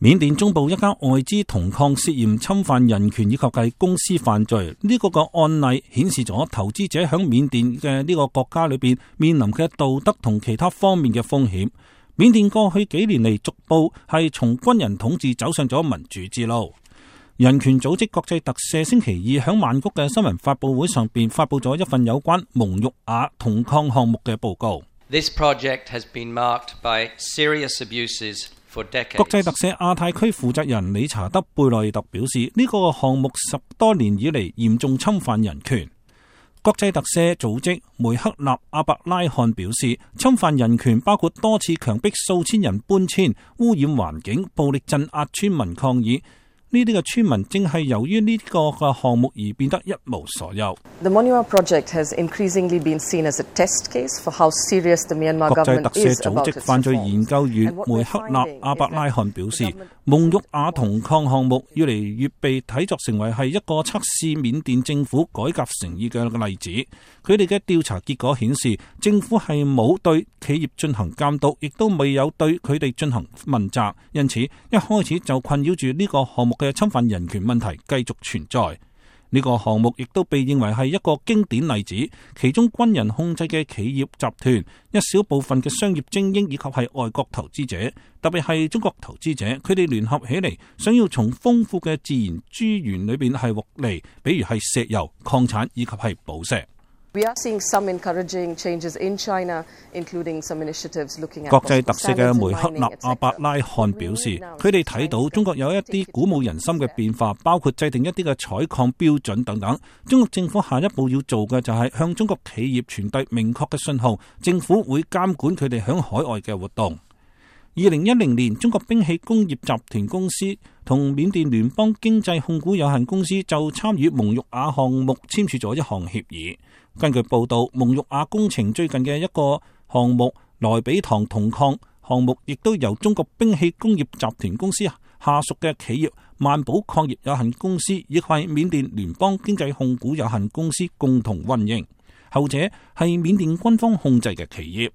緬甸中部一家外資銅礦涉嫌侵犯人權以及係公司犯罪，呢個案例顯示咗投資者響緬甸嘅呢個國家裏邊面臨嘅道德同其他方面嘅風險。緬甸過去幾年嚟逐步係從軍人統治走上咗民主之路。人權組織國際特赦星期二響曼谷嘅新聞發佈會上邊發佈咗一份有關蒙育瓦銅礦項目嘅報告。This project has been marked by serious abuses for decades. 國際特赦亞太區負責人理查德貝內特表示，呢個項目10多年以嚟嚴重侵犯人權。國際特赦組織梅克納阿伯拉罕表示，侵犯人權包括多次強迫數千人搬遷、污染環境、暴力鎮壓村民抗議。呢啲嘅村民正係由於呢個嘅項目而變得一無所有。The Monua project has increasingly been seen as a test case for how serious the Myanmar 國際 government 特赦 is 組 about 織 its 犯罪 reforms. 研究員梅克納阿伯拉罕表示，蒙育瓦銅礦項目越嚟越被睇作成為係一個測試緬甸政府改革誠意嘅例子。佢哋嘅調查結果顯示，政府係冇對企業進行監督，亦都未有對佢哋進行問責，因此一開始就困擾住呢個項目嘅侵犯人權問題繼續存在。呢個項目亦都被認為係一個經典例子，其中軍人控制嘅企業集團、一小部分嘅商業精英以及係外國投資者，特別係中國投資者，佢哋聯合起嚟，想要從豐富嘅自然資源裏邊係獲利，比如係石油、礦產以及係寶石。We are seeing some encouraging changes in China, including some initiatives looking at 國際特赦嘅梅克 mining, 納阿伯拉罕表示，佢哋睇到中國有一啲鼓舞人心嘅變化，包括制定一啲嘅採礦標準等等。中國政府下一步要做嘅就係向中國企業傳遞明確嘅信號，政府會監管佢哋響海外嘅活動。2010年，中國兵器工業集團公司同緬甸聯邦經濟控股有限公司就參與蒙育瓦項目簽署咗一項協議。根據報道，蒙育瓦工程最近嘅一個項目萊比塘銅礦項目，亦都由中國兵器工業集團公司下屬嘅企業萬寶礦業有限公司亦係緬甸聯邦經濟控股有限公司共同運營，後者係緬甸軍方控制嘅企業。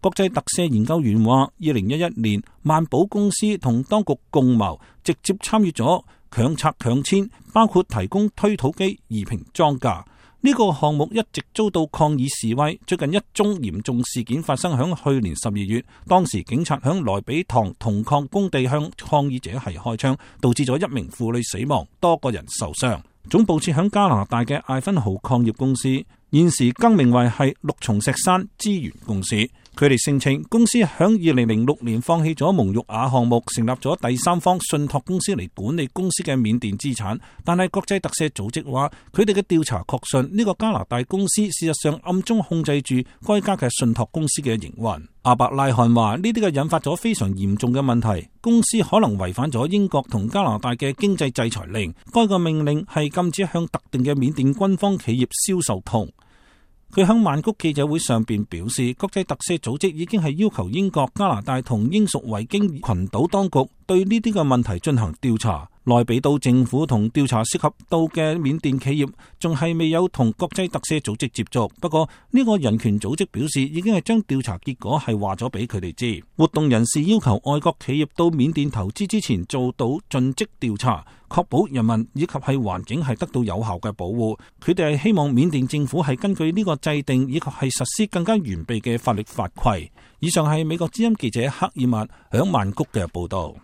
國際特赦研究員話，2011年萬寶公司同當局共謀，直接參與咗強拆強遷，包括提供推土機、移平莊稼。呢個項目一直遭到抗議示威，最近一宗嚴重事件發生響去年12月，當時警察響萊比塘銅礦工地向抗議者係開槍，導致咗1名婦女死亡，多個人受傷。總部設響加拿大嘅艾芬豪礦業公司，現時更名為係綠松石山資源公司。佢哋聲稱公司響2006年放棄咗蒙育瓦項目，成立咗第三方信託公司嚟管理公司嘅緬甸資產。但係國際特赦組織話，佢哋嘅調查確信呢個加拿大公司事實上暗中控制住該家嘅信託公司嘅營運。阿伯拉罕話，呢啲嘅引發咗非常嚴重嘅問題，公司可能違反咗英國同加拿大嘅經濟制裁令。該個命令係禁止向特定嘅緬甸軍方企業銷售銅。佢喺曼谷記者會上邊表示，國際特赦組織已經係要求英國、加拿大同英屬維京群島當局對呢啲嘅問題進行調查。內比都政府同調查涉及到嘅緬甸企業仲係未有同國際特赦組織接觸，不過呢個人權組織表示已經係將調查結果係話咗俾佢哋知。活動人士要求外國企業到緬甸投資之前做到盡職調查，確保人民以及係環境係得到有效嘅保護。佢哋係希望緬甸政府係根據呢個制定以及係實施更加完備嘅法律法規。以上係美國之音記者克爾曼響曼谷嘅報道。